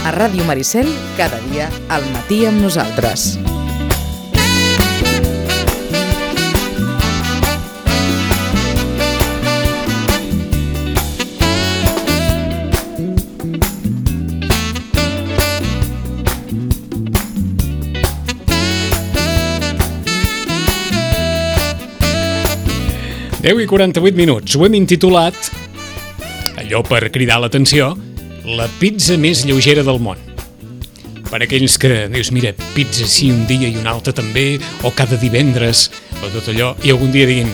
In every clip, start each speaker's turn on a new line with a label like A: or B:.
A: A Ràdio Maricel, cada dia al matí amb nosaltres.
B: Deu i 48 minuts. Ho hem intitulat, allò per cridar l'atenció, la pizza més lleugera del món. Per aquells que dius, mira, pizza sí un dia i un altre també, o cada divendres, o tot allò, i algun dia diguin,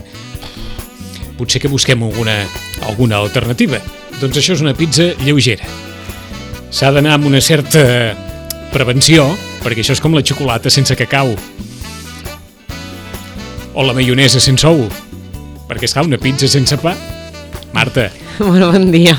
B: potser que busquem alguna alternativa. Doncs això és una pizza lleugera. S'ha d'anar amb una certa prevenció, perquè això és com la xocolata sense cacau, o la maionesa sense ou. Perquè, esclar, una pizza sense pa. Marta.
C: Bueno, bon dia.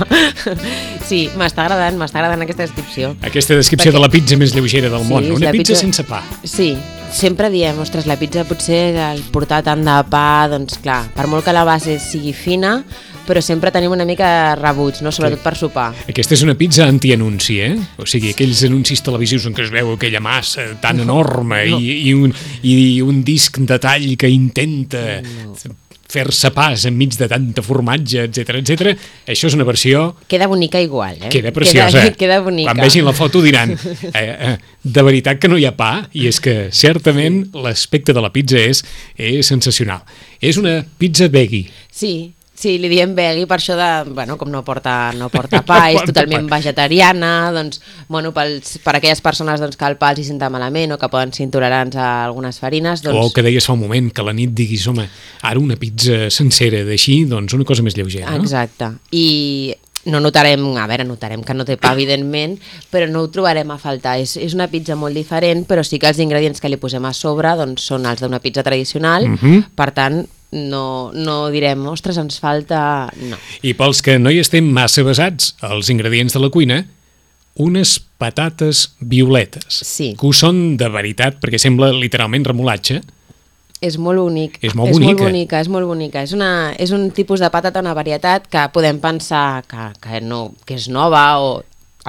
C: Sí, m'està agradant aquesta descripció.
B: Aquesta descripció de la pizza més lleugera del món. Una pizza sense pa.
C: Sí, sempre diem, ostres, la pizza potser el portar tant de pa, doncs clar, per molt que la base sigui fina, però sempre tenim una mica rebuig, no? Sobretot per sopar.
B: Aquesta és una pizza antianunci, eh? O sigui, aquells anuncis televisius en què es veu aquella massa tan enorme i un disc de tall que intenta fer-se pas enmig de tanta formatge, etc. Això és una versió...
C: Queda bonica igual, eh?
B: Queda preciosa.
C: Queda bonica.
B: Quan vegin la foto diran, de veritat que no hi ha pa, i és que certament l'aspecte de la pizza és sensacional. És una pizza veggie.
C: Sí, li diem veggie per això de, bueno, com no porta pa, és totalment vegetariana, doncs, bueno, per aquelles persones doncs, que el pa els hi senta malament o que poden ser intolerants a algunes farines, doncs...
B: O que deies fa un moment, que a la nit diguis, home, ara una pizza sencera d'així, doncs una cosa més lleugera, no?
C: Exacte, i... notarem que no té pa, evidentment, però no ho trobarem a faltar. És una pizza molt diferent, però sí que els ingredients que li posem a sobre doncs, són els d'una pizza tradicional, per tant, no direm, ostres, ens falta... No.
B: I pels que no hi estem massa basats, els ingredients de la cuina, unes patates violetes,
C: sí,
B: que ho són de veritat, perquè sembla literalment remolatge.
C: És molt bonic.
B: És molt bonica.
C: És molt bonica. És un tipus de patata, una varietat que podem pensar que és nova o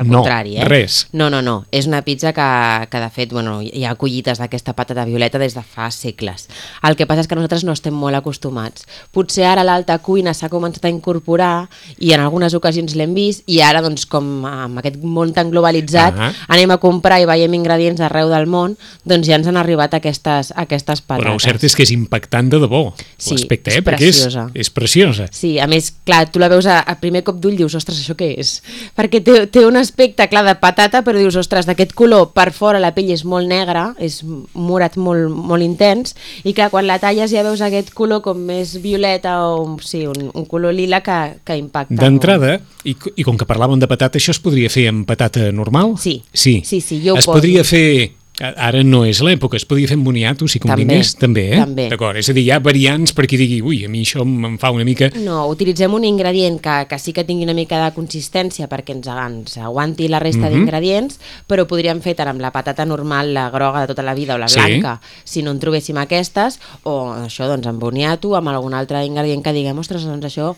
C: al contrari, eh?
B: Res.
C: No. És una pizza que de fet, bueno, hi ha collites d'aquesta patata violeta des de fa segles. El que passa és que nosaltres no estem molt acostumats. Potser ara l'alta cuina s'ha començat a incorporar i en algunes ocasions l'hem vist i ara, doncs, com amb aquest món tan globalitzat, anem a comprar i veiem ingredients arreu del món, doncs ja ens han arribat aquestes patates.
B: Però el cert és que és impactant de debò,
C: sí,
B: l'aspecte,
C: és preciosa.
B: Perquè és preciosa.
C: Sí, a més, clar, tu la veus a primer cop d'ull i dius, ostres, això què és? Perquè té un aspecte, clar, de patata, però dius, ostres, d'aquest color per fora la pell és molt negra, és morat molt, molt intens, i clar, quan la talles ja veus aquest color com més violeta o sí, un color lila que impacta.
B: D'entrada, i com que parlàvem de patata, això es podria fer amb patata normal?
C: Sí,
B: jo ho poso. Es podria fer... Ara no és l'època, es podia fer amb boniato, si convingués, també, eh?
C: També.
B: D'acord, és a dir, hi ha variants per qui digui, ui, a mi això em fa una mica...
C: No, utilitzem un ingredient que sí que tingui una mica de consistència perquè ens aguanti la resta d'ingredients, però podríem fer tant amb la patata normal, la groga de tota la vida o la blanca, si no en trobéssim aquestes, o això, doncs, amb boniato, amb algun altre ingredient que diguem, ostres, doncs això,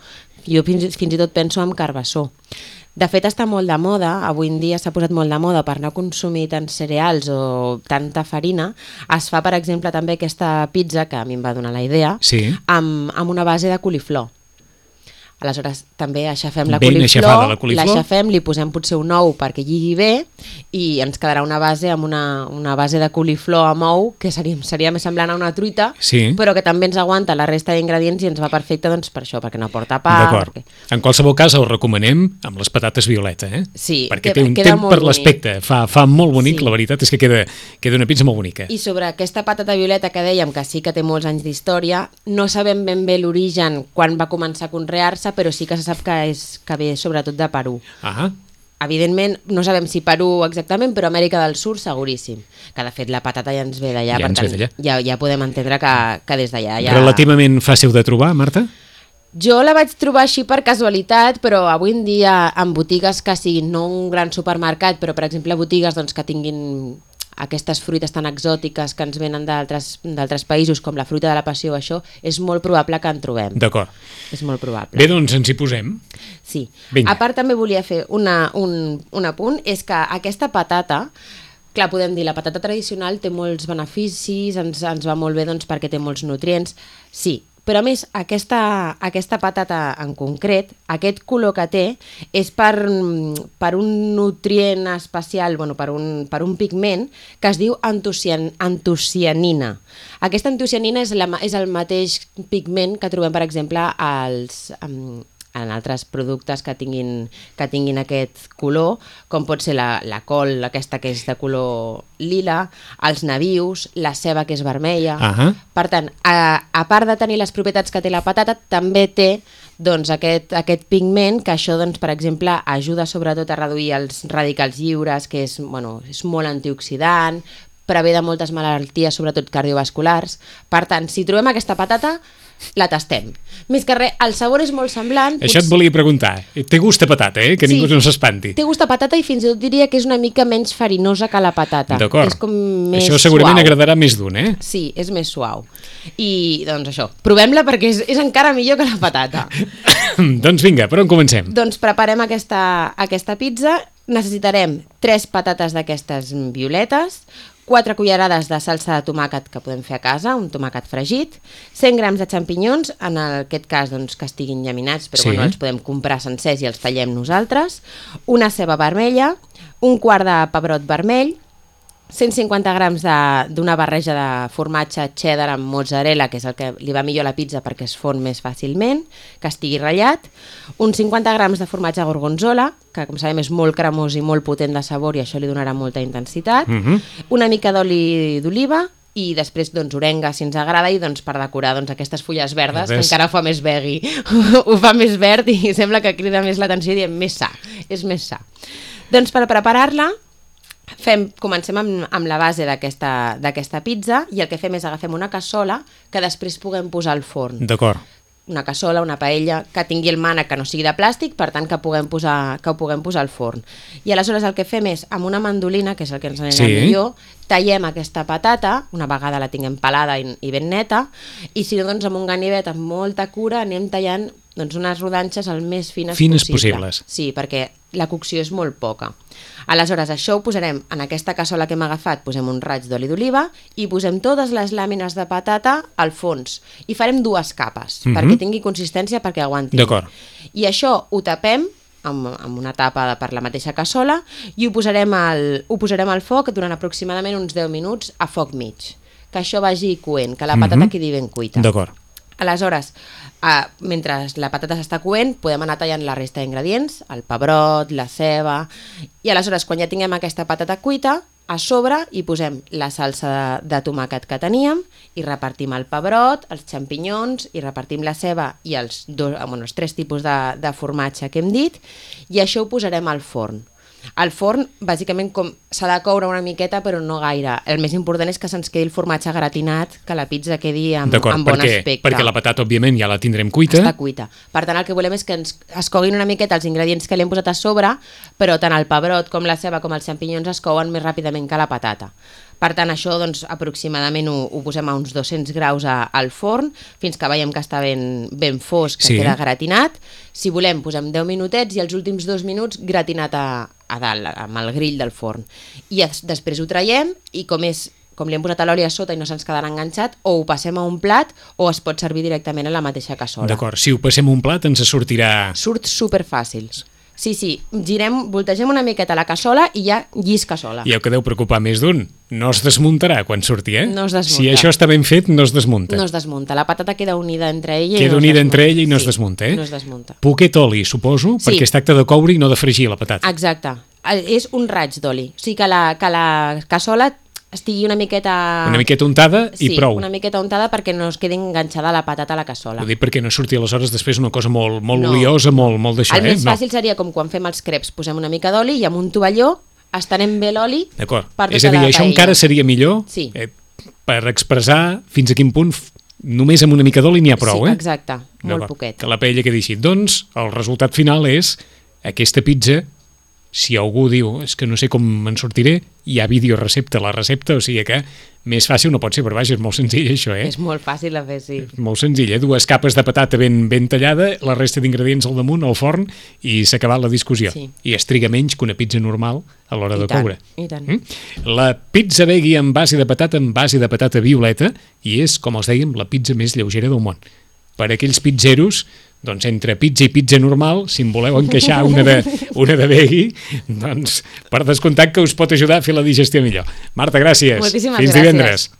C: jo fins i tot penso en carbassó. De fet, està molt de moda, avui en dia s'ha posat molt de moda per no consumir tants cereals o tanta farina. Es fa, per exemple, també aquesta pizza, que a mi em va donar la idea, amb una base de coliflor. Aleshores, també aixafem la coliflor, l'aixafem, li posem potser un ou perquè lligui bé i ens quedarà una base amb una base de coliflor amb ou que seria més semblant a una truita, però que també ens aguanta la resta d'ingredients i ens va perfecte, doncs, per això, perquè no porta pa.
B: D'acord. En qualsevol cas, el recomanem amb les patates violeta, eh?
C: Sí,
B: perquè té un temps per l'aspecte, fa molt bonic, la veritat és que queda una pizza molt bonica.
C: I sobre aquesta patata violeta que dèiem que sí que té molts anys d'història, no sabem ben bé l'origen quan va començar a conrear-se, però sí que se sap que ve sobretot de Perú. Evidentment, no sabem si Perú exactament, però Amèrica del Sud seguríssim. Que de fet la patata ja ens ve d'allà, per tant ja podem entendre que des d'allà...
B: Relativament fàcil de trobar, Marta?
C: Jo la vaig trobar així per casualitat, però avui en dia en botigues que siguin no un gran supermercat, però per exemple botigues doncs, que tinguin aquestes fruites tan exòtiques que ens venen d'altres països, com la fruita de la passió, això, és molt probable que en trobem.
B: D'acord.
C: És molt probable.
B: Bé, doncs ens hi posem.
C: Sí.
B: Vinga.
C: A part, també volia fer un apunt, és que aquesta patata, clar, podem dir, la patata tradicional té molts beneficis, ens va molt bé doncs, perquè té molts nutrients, sí, però a més aquesta patata en concret, aquest color que té és per un nutrient especial, bueno, per un pigment que es diu antocianina. Aquesta antocianina és el mateix pigment que trobem, per exemple, en altres productes que tinguin aquest color, com pot ser la col, aquesta que és de color lila, els nabius, la ceba que és vermella. Per tant, a part de tenir les propietats que té la patata, també té doncs, aquest pigment que això, doncs, per exemple, ajuda sobretot a reduir els radicals lliures, que és molt antioxidant, prevé de moltes malalties, sobretot cardiovasculars. Per tant, si trobem aquesta patata, la tastem. Més que res, el sabor és molt semblant.
B: Això et volia preguntar. Té gust a patata, que ningú no s'espanti.
C: Té gust a patata i fins i tot diria que és una mica menys farinosa que la patata.
B: D'acord.
C: És com més
B: això segurament
C: suau.
B: agradarà més d'un,
C: Sí, és més suau. I doncs això, provem-la perquè és encara millor que la patata.
B: Doncs vinga, per on comencem?
C: Doncs preparem aquesta pizza. Necessitarem 3 patates d'aquestes violetes, 4 cullerades de salsa de tomàquet que podem fer a casa, un tomàquet fregit, 100 grams de xampinyons, en aquest cas doncs, que estiguin llaminats, però els podem comprar sencers i els tallem nosaltres, una ceba vermella, un quart de pebrot vermell, 150 grams d'una barreja de formatge cheddar amb mozzarella, que és el que li va millor a la pizza perquè es fon més fàcilment, que estigui ratllat, uns 50 grams de formatge gorgonzola, que com sabem és molt cremós i molt potent de sabor i això li donarà molta intensitat, una mica d'oli d'oliva i després doncs, orenga si ens agrada i doncs, per decorar doncs, aquestes fulles verdes que encara ho fa més veggie, ho fa més verd i sembla que crida més l'atenció i diem més sa, és més sa. Doncs per preparar-la comencem amb la base d'aquesta pizza i el que fem és agafem una cassola que després puguem posar al forn.
B: D'acord.
C: Una cassola, una paella, que tingui el mànec que no sigui de plàstic, per tant que ho puguem posar al forn. I aleshores el que fem és, amb una mandolina, que és el que ens anirà millor, tallem aquesta patata, una vegada la tinguem pelada i ben neta, i si no, doncs amb un ganivet amb molta cura anem tallant doncs, unes rodanxes el més fines possibles. Sí, perquè la cocció és molt poca. Aleshores, això ho posarem en aquesta cassola que hem agafat, posem un raig d'oli d'oliva i posem totes les làmines de patata al fons. I farem 2 capes, perquè tingui consistència, perquè aguanti.
B: D'acord.
C: I això ho tapem amb una tapa per la mateixa cassola i ho posarem al foc durant aproximadament uns 10 minuts a foc mig. Que això vagi coent, que la patata quedi ben cuita.
B: D'acord.
C: Aleshores, mentre la patata s'està coent, podem anar tallant la resta d'ingredients, el pebrot, la ceba, i aleshores, quan ja tinguem aquesta patata cuita, a sobre hi posem la salsa de tomàquet que teníem i repartim el pebrot, els xampinyons, i repartim la ceba i els 3 tipus de formatge que hem dit, i això ho posarem al forn. Al forn, bàsicament, s'ha de coure una miqueta, però no gaire. El més important és que se'ns quedi el formatge gratinat, que la pizza quedi amb bon aspecte.
B: Perquè la patata, òbviament, ja la tindrem cuita.
C: Està cuita. Per tant, el que volem és que es coguin una miqueta els ingredients que li hem posat a sobre, però tant el pebrot com la ceba com els xampinyons es couen més ràpidament que la patata. Per tant, això doncs, aproximadament ho posem a uns 200 graus al forn, fins que veiem que està ben fosc, que queda gratinat. Si volem, posem 10 minutets i els últims 2 minuts gratinat a dalt, amb el grill del forn. I després ho traiem i com li hem posat l'oli a sota i no se'ns quedarà enganxat, o ho passem a un plat o es pot servir directament a la mateixa cassola.
B: D'acord, si ho passem a un plat ens sortirà...
C: Surt superfàcil. Sí, voltegem una miqueta la cassola i ja llisca sola.
B: I ho que deu preocupar més d'un, no es desmuntarà quan surti,
C: No es desmunta.
B: Si això està ben fet, no es desmunta.
C: No es desmunta, la patata queda unida entre ella
B: i no es desmunta,
C: No es desmunta.
B: Poquet oli, suposo, perquè es tracta de coure i no de fregir la patata.
C: Exacte, és un raig d'oli, o sigui que la cassola estigui una miqueta...
B: Una miqueta untada i prou.
C: Sí, una miqueta untada perquè no es quedi enganxada la patata a la cassola.
B: Ho dic perquè no surti aleshores després una cosa molt oliosa, molt d'això.
C: El més fàcil seria com quan fem els creps, posem una mica d'oli i amb un tovalló estenem bé l'oli per tota la paella.
B: És a dir, això encara seria millor per expressar fins a quin punt només amb una mica d'oli n'hi ha prou,
C: Sí, exacte, molt poquet.
B: Que la paella quedi així. Doncs el resultat final és aquesta pizza, si algú diu és que no sé com me'n sortiré, hi ha videorecepta a la recepta, o sigui que més fàcil no pot ser, però vaja, és molt senzill això,
C: És molt fàcil de fer, sí.
B: Molt senzill, 2 capes de patata ben tallada, la resta d'ingredients al damunt, al forn, i s'ha acabat la discussió.
C: Sí.
B: I es triga menys que una pizza normal a l'hora de coure.
C: I tant.
B: La pizza veggie amb base de patata violeta, i és, com els dèiem, la pizza més lleugera del món. Per aquells pizzeros, doncs entre pizza i pizza normal, si en voleu encaixar una de veggie, doncs per descomptat que us pot ajudar a fer la digestió millor. Marta, gràcies.
C: Moltíssimes
B: Fins
C: gràcies.
B: divendres.